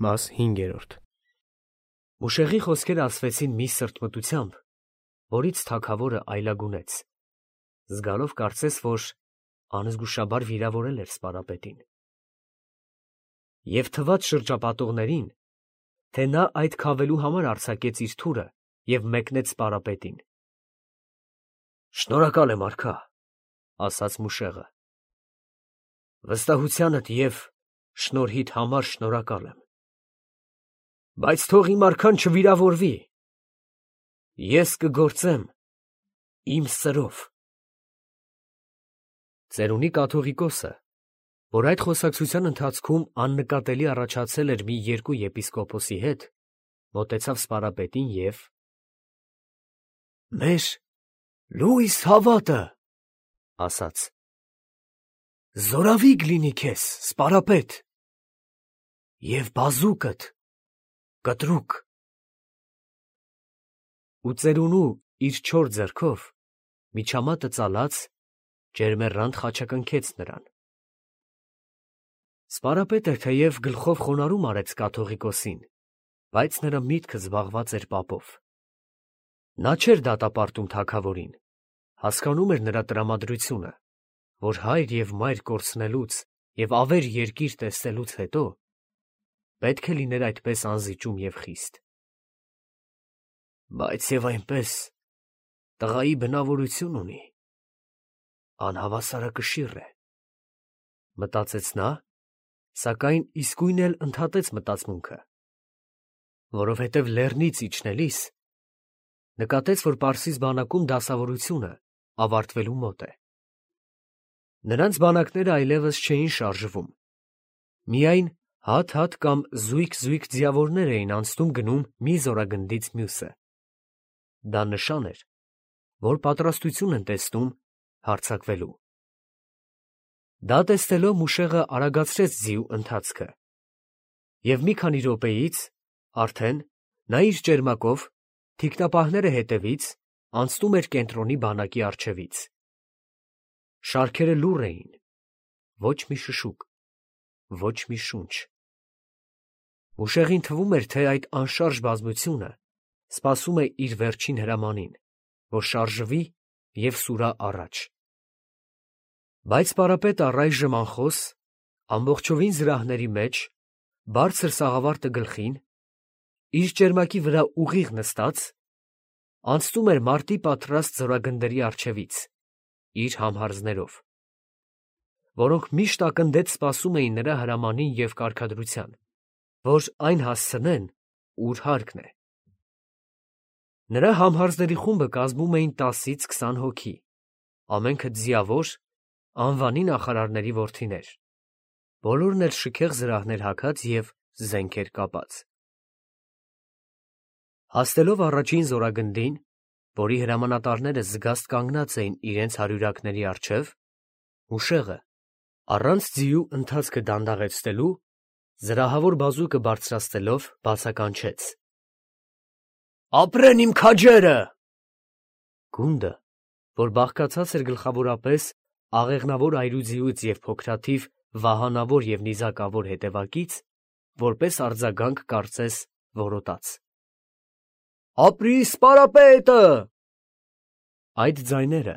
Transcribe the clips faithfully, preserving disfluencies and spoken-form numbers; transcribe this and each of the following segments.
Մաս հինգերորդ Ուշեղի խոսքերը ասվեցին մի սրտմտությամբ, որից թագավորը այլագունեց, զգալով կարծես, որ անզգուշաբար վիրավորել էր սպարապետին։ Եվ թվաց շրջապատողներին, թե նա այդ քավելու համար արձակեց իր թուրը և մեկնեց սպարապետին։ «Շնորհակալ եմ, արքա, ասաց Մուշեղը, վստահությանդ և շնորհիդ համար շնորհակալ եմ, բայց թող իմ արքան չվիրավորվի, ես կգործեմ իմ սրով»։ Ծերունի կաթողիկոսը, որ այդ խոսակցության ընթացքում աննկատելի առաջացել էր մի երկու եպիսկոպոսի հետ, մոտեցավ սպարապետին և «Մեր լույս հավատը, ասաց, զորավիգ լինի քեզ, սպարապետ, և բազուկդ կտրուկ։ Ու ծերունու իր չոր ձեռքով միջամատը ծալած ջերմեռանդ խաչակնքեց նրան։ Սպարապետը թեև գլխով խոնարհում արեց կաթողիկոսին, բայց նրա միտքը զբաղված էր պապով։ Նա չէր դատապարտում թագավորին, հասկանում էր նրա տրամադրությունը, որ հայր և մայր կորցնելուց և ավեր երկիր տեսնելուց հետո պետք է լիներ այդպես անզիջում և խիստ։ Բայց և այնպես տղայի բնավորություն ունի, անհավասարակշիռ է, մտածեց նա, սակայն իսկույն էլ ընդհատեց մտածմունքը, որովհետև լեռնից իջնելիս նկատեց, որ Պարսից բանակում դասավորությունը ավարտվելու մոտ է։ Նրանց բանակները այլևս չէին շարժվում, միայն հատ-հատ կամ զույգ-զույգ ձիավորներ էին անցնում գնում մի զորագնդից մյուսը։ Դա նշան էր, որ պատրաստություն են տեսնում հարձակվելու։ Դա տեսնելով Մուշեղը արագացրեց ձիու ընթացքը, և մի քանի րոպեից արդեն նա իր ճերմակով, թիկնապահները հետևից, անցնում էր կենտրոնի բանակի առջևից։ Շարքերը լուռ էին, ոչ մի շշուկ, ոչ մի շունչ։ Մուշեղին թվում էր, թե այդ անշարժ բազմությունը սպասում է իր վերջին հրամանին, որ շարժվի և սուրա առաջ։ Բայց սպարապետը առայժմ անխոս, ամբողջովին զրահների մեջ, բարձր սաղավարտը գլխին, իր ճերմակի վրա ուղիղ նստած, անցնում էր մարտի պատրաստ զորագնդերի առջևից, իր համհարձներով, որոնք միշտ ակնդեց սպասում էին նրա հրամանին և կարգադրության, որ այն հասցնեն, ուր հարկն է։ Նրա համհարձների խումբը կազմում էին տասից քսան հոգի, ամենքը ձիավոր, անվանի նախարարների որդիներ, բոլորն էլ շքեղ զրահներ հագած և զենքեր կապած։ Հասնելով առաջին զորագնդին, որի հրամանատարները զգաստ կանգնած էին իրենց հարյուրակների առջև, Մուշեղը, առանց ձիու ընթացքը դանդաղեցնելու, զրահավոր բազուկը բարձրացնելով, բացականչեց. «Ապրեն իմ քաջերը»։ Գունդը, որ բաղկացած էր գլխավորապես աղեղնավոր այրուձիուց և փոքրաթիվ վահանավոր և նիզակավոր հետևակից, որպես արձագանք կարծես որոտաց. «Ապրի սպարապետը»։ Այդ ձայները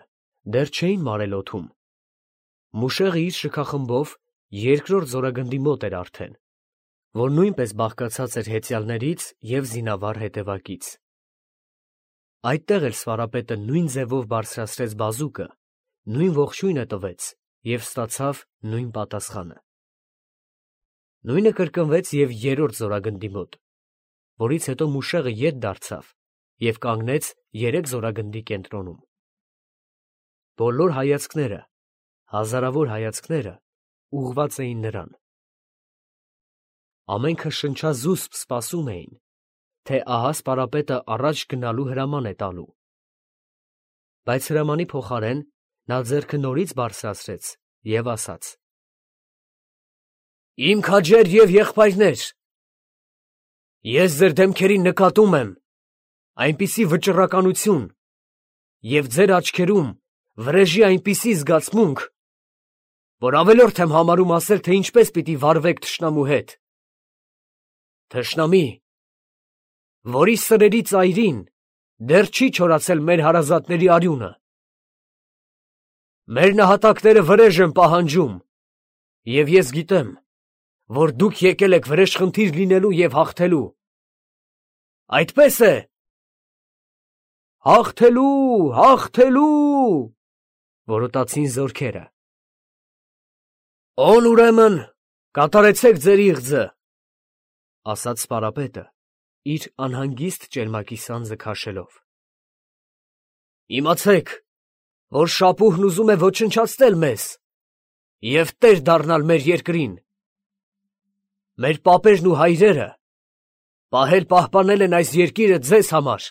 դեռ չէին մարել օդում։ Մուշեղը իր շքախմբով երկրորդ զորագնդի մոտ էր արդեն, որ նույնպես բաղկացած էր հեծյալներից և զինավառ հետևակից։ Այդտեղ էլ սպարապետը նույն ձևով բարձրացրեց բազուկը, նույն ողջույնը տվեց և ստացավ նույն պատասխանը։ Նույնը կրկնվեց և երրորդ զորագնդի մոտ, որից հետո Մուշեղը ետ դարձավ և կանգնեց երեք զորագնդի կենտրոնում։ Բոլոր հայացքները, հազարավոր հայացքները ուղղված էին նրան։ Ամենքը շնչազուսպ սպասում էին, թե ահա սպարապետը առաջ գնալու հրաման է տալու։ Բայց հրամանի փոխարեն նա ձեռքը նորից բարձրացրեց և ասաց. «Իմ քաջեր և եղբայրներ, ես ձեր դեմքերին նկատում եմ այնպիսի վճռականություն և ձեր աչքերում վրեժի այնպիսի զգացմունք, որ ավելորդ եմ համարում ասել, թե ինչպես պիտի վարվեք թշնամու հետ։ Թշնամի, որի սրերի ծայրին դեռ չի չորացել մեր հարազատների արյունը։ Մեր նահատակները վրեժ են պահանջում, և ես գիտեմ, որ դուք եկել եք վրեժխնդիր լինելու և հաղթելու։ Այդպես է։ Հաղթելու, հաղթելու, որոտացին զորքերը։ Ո՛ն ուրեմն, կատարեցեք ձեր իղձը, ասաց սպարապետը, իր անհանգիստ ճերմակի սանձը քաշելով։ Իմացեք, որ շապուհն ուզում է ոչնչացնել մեզ և տեր դառնալ մեր երկրին։ Մեր պապերն ու հայրերը պահել պահպանել են այս երկիրը ձեզ համար։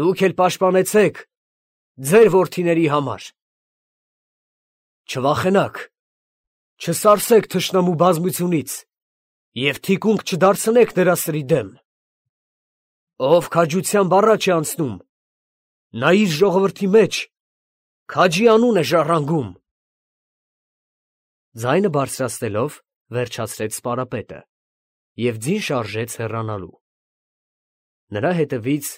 Դուք էլ պաշտպանեցեք ձեր որդիների համար։ Չվախենաք, չսարսեք թշնամու բազմությունից և թիկունք չդարձնեք նրա սրի դեմ։ Ով քաջությամբ առաջ է անցնում, նա իր ժողովրդի մեջ քաջի անուն է ժառանգում։ Ձայնը բարձրացնելով վերջացրեց սպարապետը և ձին շարժեց հեռանալու։ Նրա հետևից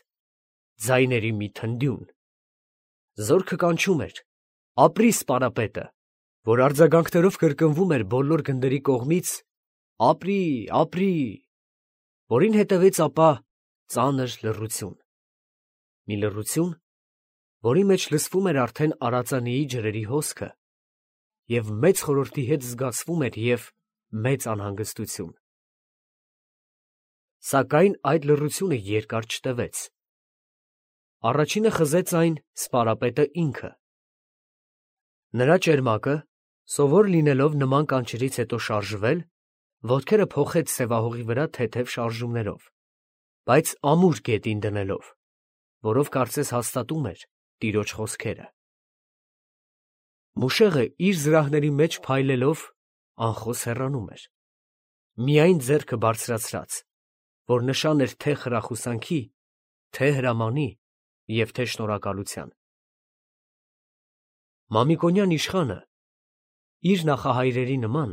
ձայների մի թնդյուն։ Զորքը կանչում էր. ապրի սպարապետը, որ արձագանքներով կրկնվում էր բոլոր գնդերի կողմից. ապրի, ապրի, որին հետևեց ապա ծանր լռություն։ Մի լռություն, որի մեջ լսվում էր արդեն արածանիի ջրերի հոսքը, և մեծ խորհրդի հետ զգացվում էր և մեծ անհանգստություն։ Սակայն այդ լռությունը երկար չտևեց։ Առաջինը խզեց այն սպարապետը ինքը։ Նրա ճերմակը, սովոր լինելով նման կանչերից հետո շարժվել, ոտքերը փոխեց սևահողի վրա թեթև շարժումներով, բայց ամուր գետին դնելով, որով կարծես հաստատում էր տիրոջ խոսքերը։ Մուշեղը իր զրահների մեջ փայլելով անխոս հեռանում էր, միայն ձեռքը բարձրացրած, որ նշան էր թե խրախուսանքի, թե հրամանի և թե շնորհակալության։ Մամիկոնյան իշխանը, իր նախահայրերի նման,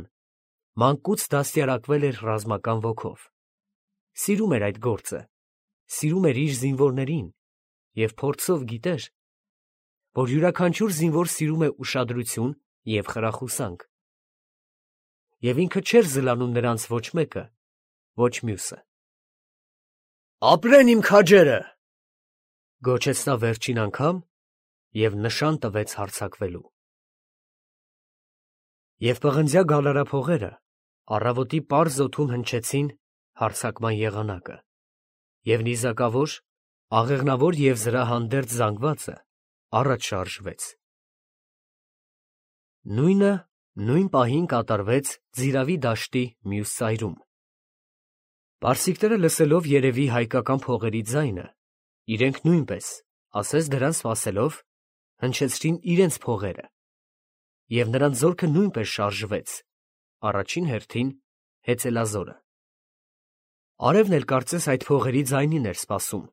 մանկուց դաստիարակվել էր ռազմական ոգով, սիրում էր այդ գործը, սիրում էր իր զինվորներին և փորձով գիտեր, որ յուրաքանչյուր զինվոր սիրում է ուշադրություն և խրախուսանք, և ինքը չէր զլանում նրանց ոչ մեկը, ոչ մյուսը։ «Ապրեն իմ քաջերը», գոչեց նա վերջին անգամ և նշան տվեց հարձակվելու։ Եվ պղնձյա գալարափողերը առավոտի պարզ օդում հնչեցին հարձակման եղանակը, և նիզակավոր, աղեղնավոր և զրահանդերձ զանգվածը առաջ շարժվեց։ Նույնը նույն պահին կատարվեց Ձիրավի դաշտի մյուս ծայրում։ Պարսիկները լսելով երևի հայկական փողերի ձայնը, իրենք նույնպես, ասես դրան սպասելով, հնչեցրին իրենց փողերը, և նրանց զորքը նույնպես շարժվեց, առաջին հերթին հեծելազորը։ Արևն էլ կարծես այդ փողերի ձայնին էր սպասում։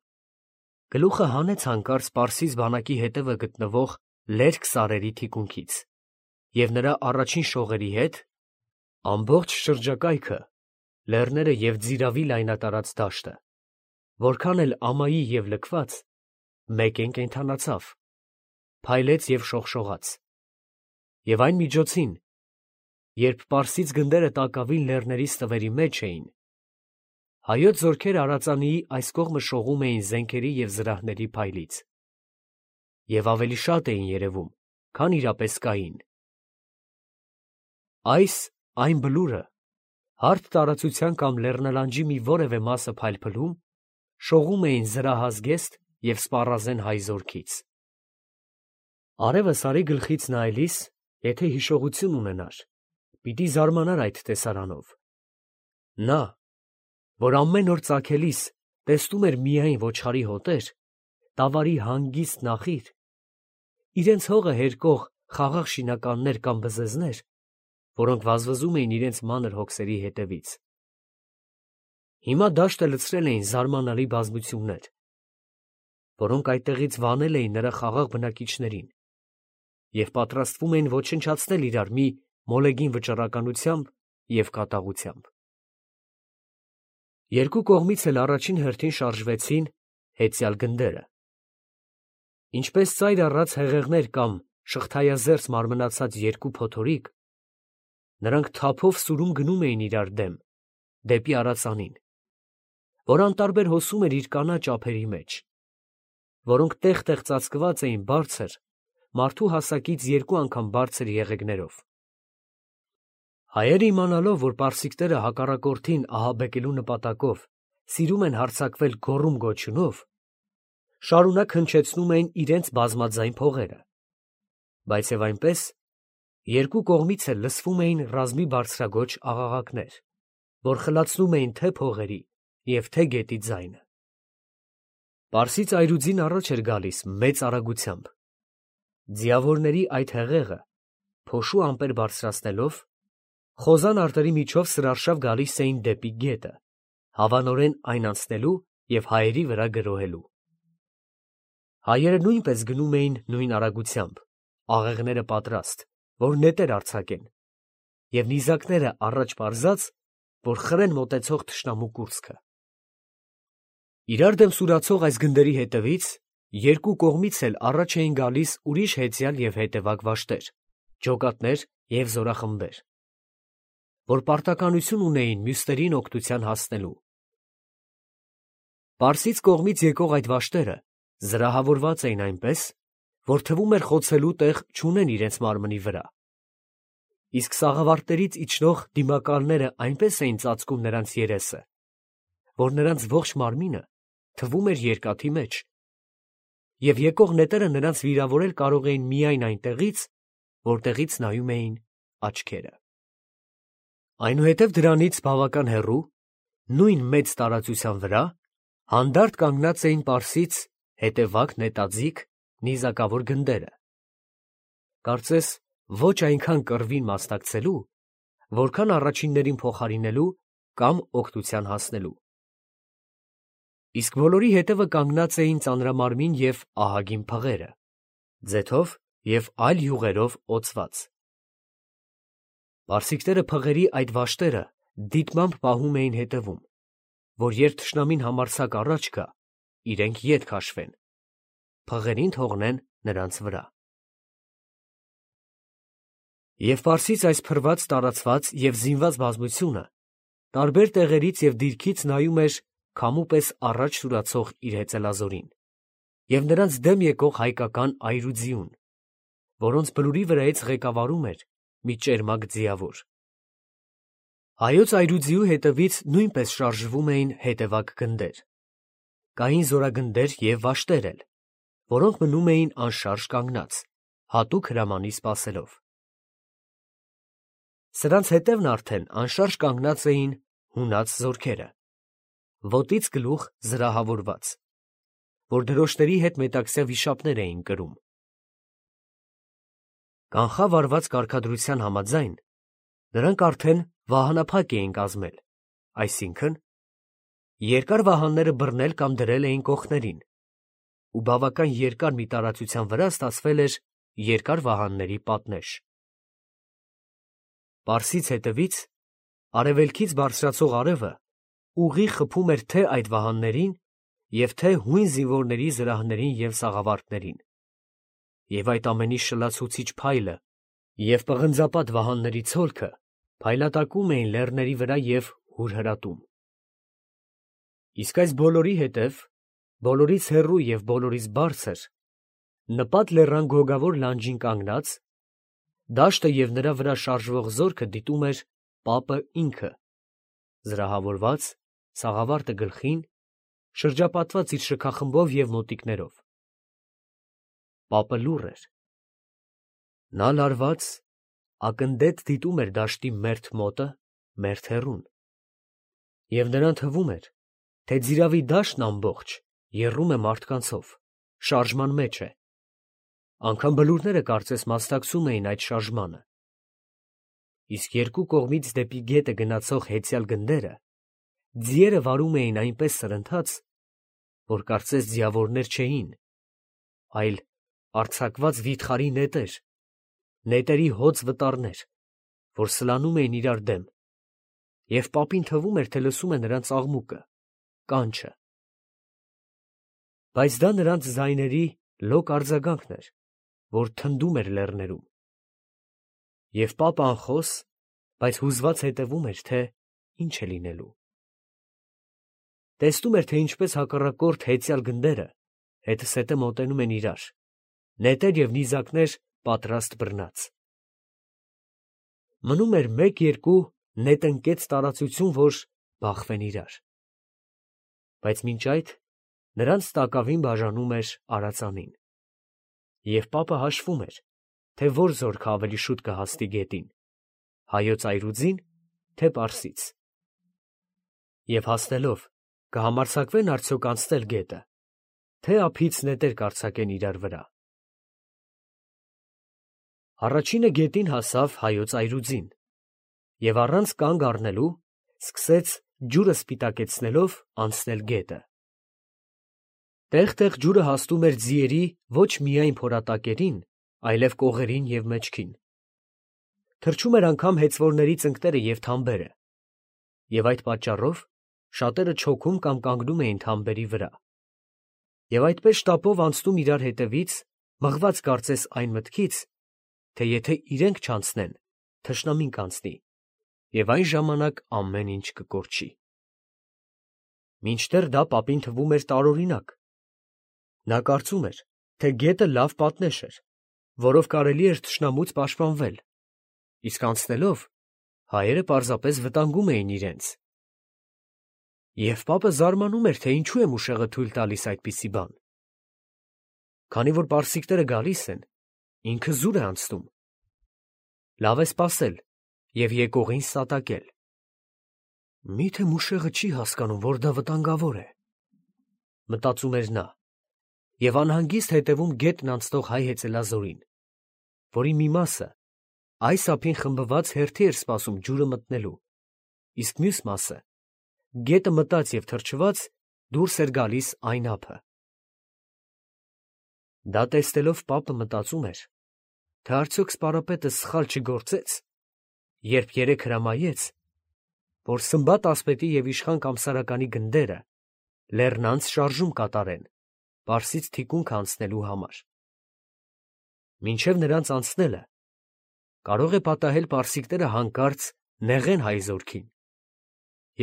Գլուխը հանեց հանկարծ պարսից բանակի հետևը գտնվող լերկ սարերի թիկունքից, և նրա առաջին շողերի հետ ամբողջ շրջակայքը, լեռները և Ձիրավի լայնատարած դաշտը, որքան էլ ամայի և լքված, մեկեն կենդանացավ, փայլեց և շողշողաց, և այն միջոցին, երբ պարսից գնդերը տակավին լեռների ստվերի մեջ էին, հայոց զորքերը արածանիի այս կողմը շողում էին զենքերի և զրահների փայլից, և ավելի շատ էին երևում, քան իրապես կային։ Այս այն բլուրը, հարթ տարածության կամ լեռնալանջի մի որևէ մասը փայլփլում, շողում էին զրահազգեստ և սպառազեն հայ զորքից։ Արևը Սարի գլխից նայելիս, եթե հիշողություն ունենար, պիտի զարմանար այդ տեսարանով։ Նա, որ ամեն օր ծագելիս տեսնում էր միայն ոչխարի հոտեր, տավարի հանգիստ նախիր, իրենց հողը հերկող խաղաղ շինականներ կամ բզեզներ, որոնք վազվզում էին իրենց մանր հոգսերի հետևից։ Հիմա դաշտը լցրել էին զարմանալի բազմություններ, որոնք այդտեղից վանել էին նրա խաղաղ բնակիչներին և պատրաստվում էին ոչնչացնել իրար մի մոլեգին վճռականությամբ և կատաղությամբ։ Երկու կողմից էլ առաջին հերթին շարժվեցին հեծյալ գնդերը։ Ինչպես ծայր առած հեղեղներ կամ շղթայազերծ մարմնացած երկու փոթորիկ, նրանք թափով սուրում գնում էին իրար դեմ, դեպի արածանին, որ անտարբեր հոսում էր իր կանաչ ափերի մեջ, որոնք տեղ-տեղ ծածկված էին բարձր, մարդու հասակից երկու անգամ բարձր եղեգներով։ Հայերը իմանալով, որ պարսիկները հակառակորդին ահաբեկելու նպատակով սիրում են հարձակվել գոռում-գոչյունով, շարունակ հնչեցնում էին իրենց բազմաձայն փողերը, բայց և այնպես երկու կողմից էլ լսվում էին ռազմի բարձրագոչ աղաղակներ, որ խլացնում էին թե փողերի և թե գետի ձայնը։ Պարսից այրուձին առաջ էր գալիս մեծ արագությամբ, ձիավորների այդ հեղեղը փոշու ամպեր բարձրացնելով, խոզան արտերի միջով սրարշավ գալիս էին դեպի գետը, հավանորեն այն անցնելու և հայերի վրա գրոհելու։ Հայերը նույնպես գնում էին նույն արագությամբ, աղեղները պատրաստ, որ նետեր արձակեն, և նիզակները առաջ պարզած, որ խրեն մոտեցող թշնամու կուրծքը։ Իրար դեմ սուրացող այս գնդերի հետևից երկու կողմից էլ առաջ էին գալիս ուրիշ հեծյալ և հետևակ վաշտեր, ջոկատներ և զորախմբեր, որ պարտականություն ունեին մյուսներին օգնության հասնելու։ Պարսից կողմից եկող այդ վաշտերը զրահավորված էին այնպես, որ թվում էր խոցելու տեղ չունեն իրենց մարմնի վրա, իսկ սաղավարտներից իջնող դիմակալները այնպես էին ծածկում նրանց երեսը, որ նրանց ողջ մարմինը թվում էր երկաթի մեջ, և եկող նետերը նրանց վիրավորել կարող էին միայն այնտեղից, որտեղից նայում էին աչքերը։ Այնուհետև դրանից բավական հեռու, նույն մեծ տարածության վրա, հանդարտ կանգնած էին պարսից հետևակ նետաձիգ նիզակավոր գնդերը, կարծես ոչ այնքան կռվին մասնակցելու, որքան առաջիններին փոխարինելու կամ օգնության հասնելու։ Իսկ բոլորի հետևը կանգնած էին ծանրամարմին և ահագին փղերը, ձեթով և այլ յուղերով օծված։ Պարսիկները փղերի այդ վաշտերը դիտմամբ պահում էին հետևում, որ երբ թշնամին համարձակ առաջ գա, իրենք ետ քաշվեն, փղերին թողնեն նրանց վրա։ Եվ Պարսից այս փռված, տարածված և զինված բազմությունը տարբեր տեղերից և դիրքից նայում էր քամու պես առաջ սուրացող իր հեծելազորին և նրանց դեմ եկող հայկական այրուձիուն, որոնց բլուրի վրայից ղեկավարում էր մի ճերմակ ձիավոր։ Հայոց այրուձիու հետևից նույնպես շարժվում էին հետևակ գնդեր, կային զորագնդեր և վաշտեր էլ, որոնք մնում էին անշարժ կանգնած, հատուկ հրամանի սպասելով։ Սրանց հետևն արդեն անշարժ կանգնած էին հունած զորքերը, ոտից գլուխ զրահավորված, որ դրոշների հետ մետաքսյա վիշապներ էին կրում։ Կանխավարված կարգադրության համաձայն, նրանք արդեն վահանափակ էին կազմել, այսինքն՝ երկար վահանները բռնել կամ դրել էին կողքերին, ու բավական երկար մի տարածության վրա ստացվել էր երկար վահանների պատնեշ։ Պարսից հետևից, արևելքից բարձրացող արևը ուղիղ խփում էր թե այդ վահաններին և թե հույն զինվորների զրահներին և սաղավարտներին, և այդ ամենի շլացուցիչ փայլը և պղնձապատ վահանների ցոլքը փայլատակում էին լեռների վրա և հուրհրատում։ Իսկ այս բոլորի հետև, բոլորից հեռու և բոլորից բարձր, նպատ լեռան գոգավոր լանջին կանգնած, դաշտը և նրա վրա շարժվող զորքը դիտում էր պապը ինքը, զրահավորված, սաղավարտը գլխին, շրջապատված իր շքախմբով և մոտիկներով։ Պապը լուռ էր։ Նա լարված, ակնդետ դիտում էր դաշտի մերթ մոտը, մերթ հեռուն, և նրան թվում էր, թե ձիრავի դաշտն ամբողջ եռում է մարդկանցով, շարժման մեջ է, անգամ բլուրները կարծես մասնակցում էին այդ շարժմանը, իսկ երկու կողմից դեպի գետը գնացող հեծյալ գնդերը ձիերը վարում էին այնպես սրընթաց, որ կարծես ձիավորներ չէին, այլ արձակված վիթխարի նետեր, նետերի հոծ վտարներ, որ սլանում էին իրար դեմ, և պապին թվում էր, թե լսում է նրանց աղմուկը, կանչը։ Բայց դա նրանց ձայների լոկ արձագանքն էր, որ թնդում էր լեռներում։ Եվ պապը անխոս, բայց հուզված հետևում էր, թե ինչ է լինելու։ Տեսնում էր, թե ինչպես հակառակորդ հեծյալ գնդերը հետզհետե մոտենում են իրար, նետեր և նիզակներ պատրաստ բռնած։ Մնում էր մեկ-երկու նետնկեց տարածություն, որ բախվեն իրար։ Բայց մինչ այդ նրանց տակավին բաժանում էր արածանին, և պապը հաշվում էր, թե որ զորքը ավելի շուտ կհասնի գետին, հայոց այրուձին, թե պարսից, և հասնելով կհամարձակվեն արդյոք անցնել գետը, թե ափից նետեր կարձակեն իրար վրա։ Առաջինը գետին հասավ հայոց այրուձին և առանց կանգ առնելու սկսեց ջուրը սպիտակեցնելով անցնել գետը։ Տեղ֊տեղ ջուրը հասնում էր ձիերի ոչ միայն փորատակերին, այլև կողերին և մեջքին։ Թրջում էր անգամ հեծվորների ծնկները և թամբերը, և այդ պատճառով շատերը չոքում կամ կանգնում էին թամբերի վրա, և այդպես շտապով անցնում իրար հետևից, մղված կարծես այն մտքից, թե եթե իրենք չանցնեն, թշնամին կանցնի, և այն ժամանակ ամեն ինչ կկորչի։ Մինչդեռ դա պապին թվում էր տարօրինակ։ Նա կարծում էր, թե գետը լավ պատնեշ էր, որով կարելի էր թշնամուց պաշտպանվել, իսկ անցնելով հայերը պարզապես վտանգում էին իրենց։ Եվ պապը զարմանում էր, թե ինչու է մուշեղը թույլ տալիս այդպիսի բան։ Քանի որ պարսիկները գալիս են, ինքը զուր է անցնում։ Լավ է սպասել և եկողին սատակել։ Մի՞թե մուշեղը չի հասկանում, որ դա վտանգավոր է, մտածում էր նա, և անհանգիստ հետևում գետն անցնող հայ հեծելազորին, որի մի մասը այս ափին խմբված հերթի էր սպասում ջուրը մտնելու, իսկ մյուս մասը, գետը մտած և թրջված, դուրս էր գալիս այն ափը։ Դա տեսնելով պապը մտածում էր, թե արդյոք սպարապետը սխալ չգործեց, երբ երեկ հրամայեց, որ Սմբատ ասպետի և իշխան Կամսարականի գնդերը լեռնանց շարժում կատարեն Պարսից թիկունքը անցնելու համար։ Մինչև նրանց անցնելը կարող է պատահել պարսիկները հանկարծ նեղեն հայ զորքին,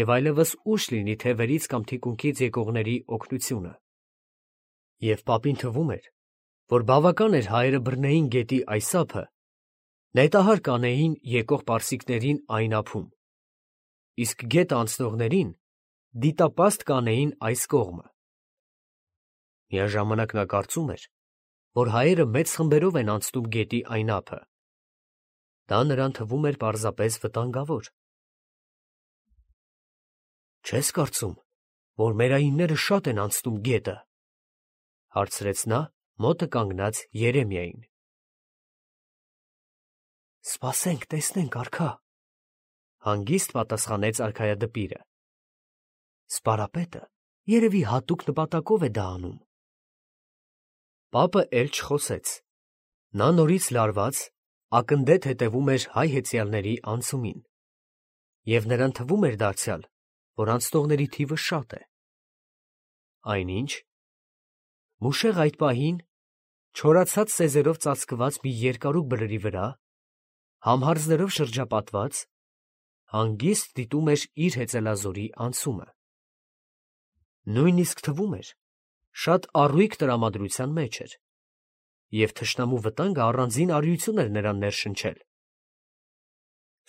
և այլևս ուշ լինի թևերից կամ թիկունքից եկողների օգնությունը։ Եվ պապին թվում էր, որ բավական էր հայերը բռնեին գետի այս ափը, նետահար կանեին եկող պարսիկներին այն ափում, իսկ գետը անցնողներին դիտապաստ կանեին այս կողմը։ Միաժամանակ նա կարծում էր, որ հայերը մեծ խմբերով են անցնում գետի այն ափը։ Դա նրան թվում էր պարզապես վտանգավոր։ «Չես կարծում, որ մերայինները շատ են անցնում գետը», ֊ հարցրեց նա մոտը կանգնած Երեմիային։ «Սպասենք, տեսնենք, արքա», ֊ հանգիստ պատասխանեց արքայադպիրը։ «Սպարապետը երևի հատուկ նպատակով է դա անում»։ Պապը էլ չխոսեց։ Նա նորից լարված, ակնդեթ հետևում էր հայ հեծյալների անցումին, և նրան թվում էր դարձյալ, որ անցնողների թիվը շատ է։ Այնինչ, մուշեղը այդ պահին, չորացած սեզերով ծածկված մի երկարու բլրի վրա, համհարձներով շրջապատված, հանգիստ դիտում էր իր հեծելազորի անցումը։ Նույնիսկ թվում էր, շատ առույգ տրամադրության մեջ էր, և թշնամու վտանգը առանձին արիություն էր նրան ներշնչել։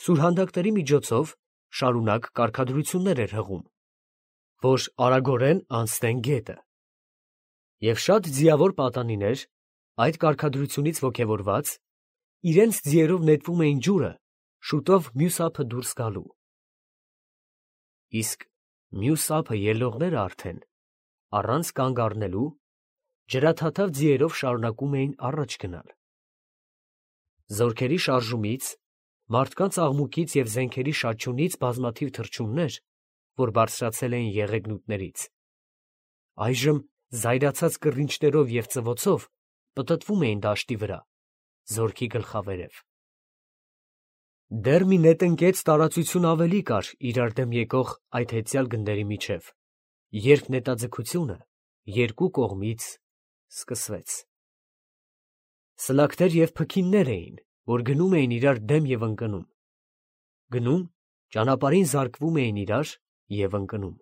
Սուրհանդակների միջոցով շարունակ կարգադրություններ էր հղում, որ արագորեն անցնեն գետը, և շատ ձիավոր պատանիներ, այդ կարգադրությունից ոգևորված, իրենց ձիերով նետվում էին ջուրը շուտով մյուս ափը դուրս գալու։ Իսկ մյուս ափը ելնողները արդեն, առանց կանգ առնելու, ջրաթաթավ ձիերով շարունակում էին առաջ գնալ։ Զորքերի շարժումից, մարդկանց աղմուկից և զենքերի շաչյունից բազմաթիվ թռչուններ, որ բարձրացել էին եղեգնուտներից, այժմ զայրացած կռինչներով և ծվոցով պտտվում էին դաշտի վրա, զորքի գլխավերև։ Դեռ մի նետնկեց տարածություն ավելի կար իրար դեմ եկող այդ հեծյալ գնդերի միջև, երբ նետաձգությունը երկու կողմից սկսվեց։ Սլաքներ և փքիններ էին, որ գնում էին իրար դեմ և ընկնում, գնում, ճանապարհին զարկվում էին իրար և ընկնում։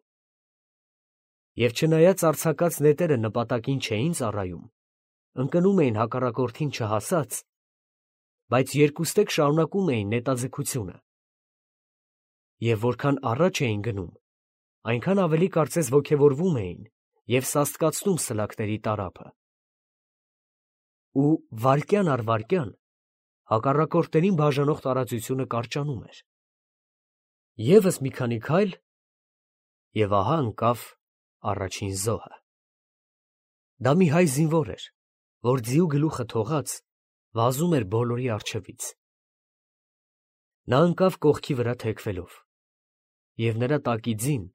Եվ չնայած արձակած նետերը նպատակին չէին ծառայում, ընկնում էին հակառակորդին չհասած, բայց երկուստեք շարունակում էին նետաձգությունը։ Եվ որքան առաջ էին գնում, այնքան ավելի կարծես ոգևորվում էին և սաստկացնում սլաքների տարափը։ Ու վայրկյան առ վայրկյան հակառակորդներին բաժանող տարածությունը կարճանում էր։ Եվս մի քանի քայլ, և ահա ընկավ առաջին զոհը։ Դա մի հայ զինվոր էր, որ ձիու գլուխը թողած, վազում էր բոլորի առջևից։ Նա ընկավ կողքի վրա թեքվելով, և նրա տակի ձին,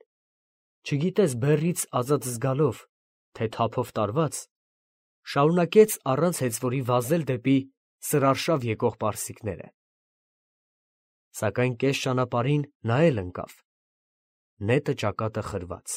չգիտես բեռից ազատ զգալով, թե թափով տարված, շարունակեց առանց հեծվորի վազել դեպի սրարշավ եկող պարսիկները։ Սակայն կես ճանապարհին նա էլ ընկավ, նետը ճակատը խրված։